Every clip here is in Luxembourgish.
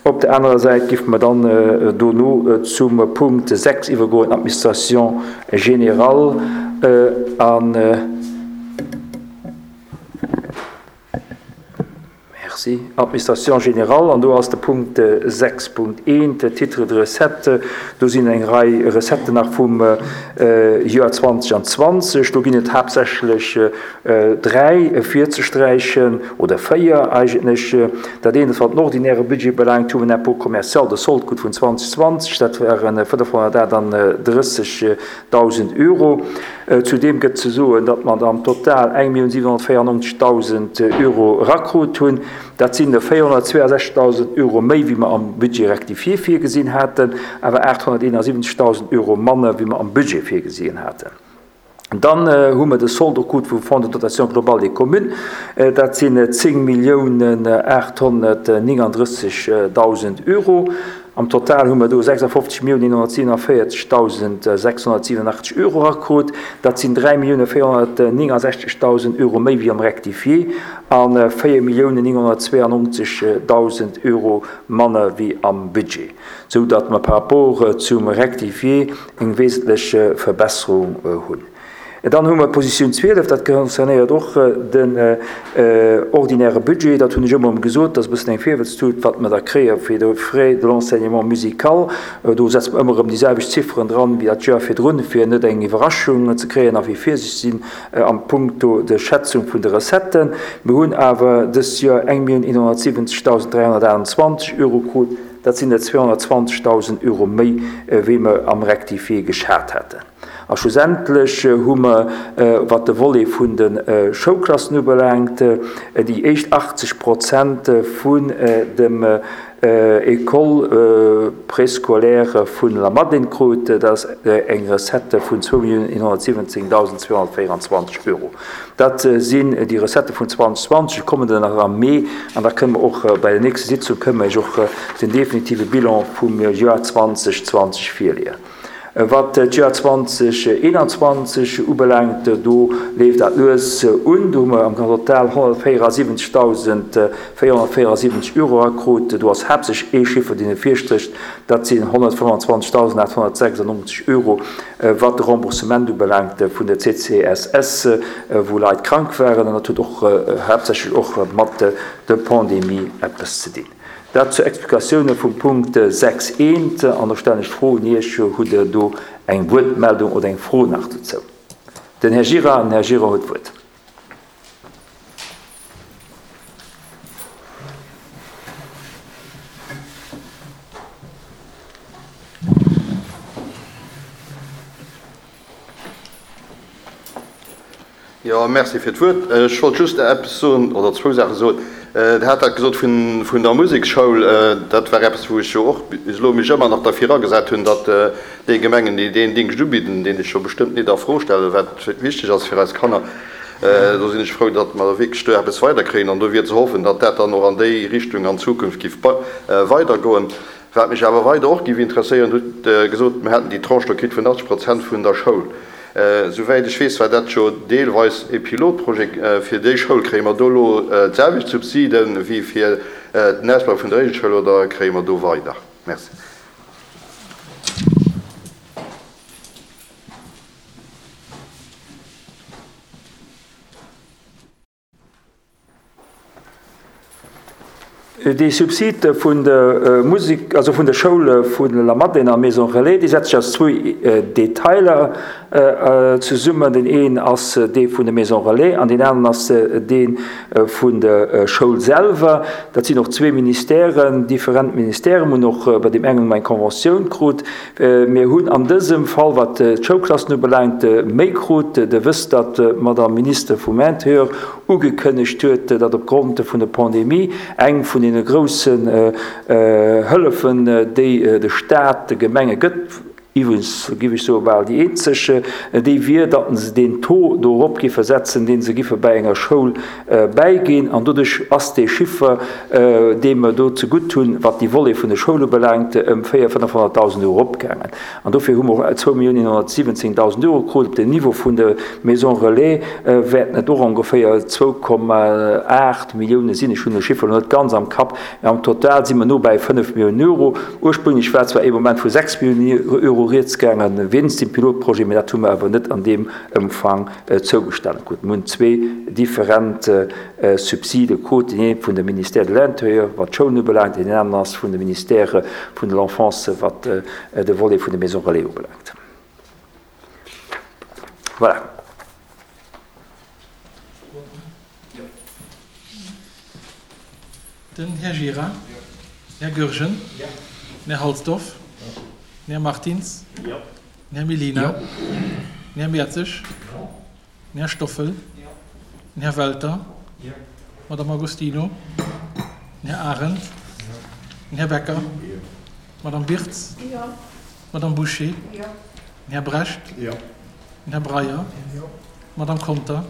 Op der anerer Säit géife mer dann dono zum Punkt 6 iwwergoen, Administration générale an. Merci. Administration générale, an do ass de Punkt 6.1, Titres de recettes. Do sinn eng Rei Recetten nach vum Joer 2020. Do ginn et haaptsächlech dräi virzesträichen, oder véier eigentlech. Dat eent, wat den ordinäre Budget belaangt, hu mer en Impôt commercial de solde krut vun 2020, dat waren 538.000 Euro. Zudeem gëtt ze soen, datt mer am Total 1.794.000 Euro erakrut hunn. Dat sinn der 462.000 Euro méi, wéi mer am Budget rectifié virgesinn haten, awer 871.000 Euro manner, wéi mer am Budget virgesinn haten. Dann hu mer de Solde krut vum Fonds de dotation globale des communes. Dat sinn 10.839.000 Euro. Am Total hu mer do 56.947.687 Euro erakrut. Dat sinn 3.469.000 Euro méi wéi am Rectifié a 4.992.000 Euro manner wéi am Budget, sou datt mer par rapport zum Rectifié eng wesentlech Verbesserung hunn. Dann hu mer d'Positioun 12, dat concernéiert och den ordinäre Budget. Dat hunn ech ëmmer erëm gesot, dat ass e bëssen eng Virwëtztut, wat mer da kréie fir de Frais de l'enseignement musical. Do setze mer ëmmer erëm déi selwecht Zifferen dran wéi dat Joer virdrun, fir net eng Iwwerraschung ze kréien a fir virsiichteg ze sinn am Punkto de Schätzung vun de Recetten. Mir hunn awer dëst Joer 1.170.328 Euro krut. Dat sinn der 220.000 Euro méi, wéi mer am Rectifié geschat haten. A schlussendlech hu mer, wat de Volet vun de Schoulklassen ubelaangt, déi éischt 80 Prozent vun dem École préscolaire vun La Madeleine krut. Dat ass eng Recette vun 2.117.224 Euro. Dat sinn déi Recettë vun 2020. Et kommen der nach am Mee an da kënne mer och bei der nächste Sitzung kënne mer Iech och den definitive Bilan vum Joer 2020 virleeën. Wat d'Joer 2021 ubelaangt, do leeft dat lues un. Do hu mer am Total 174.474 Euro erakrut. Do ass haaptsächlech ee Chiffer, deen ervirstrécht, dat sinn 125.896 Euro, wat de Remboursement ubelaangt vun der CCSS, wou Leit krank waren. An dat huet och haaptsächlech och mat der Pandemie eppes ze dinn. Dat zur Explikatioune vum Punkt 6 eent. An da stellen ech d'Fro un Iech, Hutt Der do eng Wuertmeldung oder eng Fro nach dozou? Den Här Gira, den Här Gira huet d'Wuert. Jo, merci fir d'Wuert. Ech wollt just eppes soen, oder zwou Saache soen. Der hat dat gesot vun, vun der Museksschoul. Dat war eppes, wou ech jo och bis elo mech ëmmer nach derfir agesat hunn, datt déi Gemengen, déi deen Dingscht ubidden, deen ech jo bestëmmt net a Fro stellen, wat wichteg ass fir eis Kanner, do sinn ech frou, datt mer wierklech do eppes weiderkréien. An do wier ze hoffen, datt dat dann och an déi Richtung an Zukunft géif weidergoen. Wat mech awer weider och géif interesséieren, Dir hutt gesot, mir hätten déi Tranche do kritt vun 80 Prozent vun der Schoul. Souwäit ech weess, war dat jo deelweis e Pilotprojet fir déi Schoul. Kréie mer do elo d'selwecht Subside wéi fir den Ausbau vun der Regelschoul oder kréie mer do weider? Merci. Dee Subsid vun der Musek, also vun der Schoul vun La Madeleine a Maison Relais, dee setzt sech aus zwou Detailer zesummen. Deen een ass dee vun der Maison Relais an deen aneren ass dee vun der Schoul selwer. Dat sinn och zwee Ministèren, different Ministèren. Mir hunn och bei deem engen eng Conventioun krut. Mir hunn an dësem Fall, wat d'Schoulklassen ubelaangt, méi krut. Der wësst, datt d'Madame Minister vum Intérieur ugekënnegt huet, datt opgrond vun der Pandemie eng vun deene groussen Hëllefen, déi de Stat de Gemenge gëtt, Iwwregens giff ech soe bal déi eenzeg, déi wier, datt se deen Taux do erop giffe setzen, dee se giffe bäi enger Schoul bäiginn. An doduerch ass dee Chiffer, dee mer do zegutt hunn, wat déi Volet vun de Schoule ubelaangt, ëm 400.000, 500.000 Euro eropgaangen. An dofir hu mer och 2.117.000 Euro krut. Op dem Niveau vun de Maisons relais wäerten et och ongeféier 2,8 Millioune sinn. Ech hunn de Chiffer elo net ganz am Kapp, mä am Total si mer no bäi 5 Milliounen Euro. Ursprünglech war zwar ee Moment vu 6 Milliounen Euro rieds gaangen, wéinst dem Pilotprojet, mä dat hu mer awer net an deem Ëmfang zougestane krut. Mir hunn zwee different Subside krut, deen ee vun dem Ministère de l'Intérieur, wat d'Schoulen ubelaangt, deen aneren ass vun dem Ministère vun de l'Enfance, wat de Volet vun de Maisons relais ubelaangt. Voilà. Den Här Gira. Den Här Goergen. Den Här Halsdorf. Den Här Martins. Den Här Mellina. Den Här Mertzig. Den Här Stoffel. Den Här Welter. D'Madame Agostino. Den Här Arendt. Den Här Becker. D'Madame Birtz. D'Madame Bouché. Den Här Brecht. Den Här Breyer. D'Madame Conter.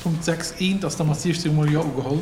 Punkt 6 eent ass da mat 16 mol Jo ugeholl.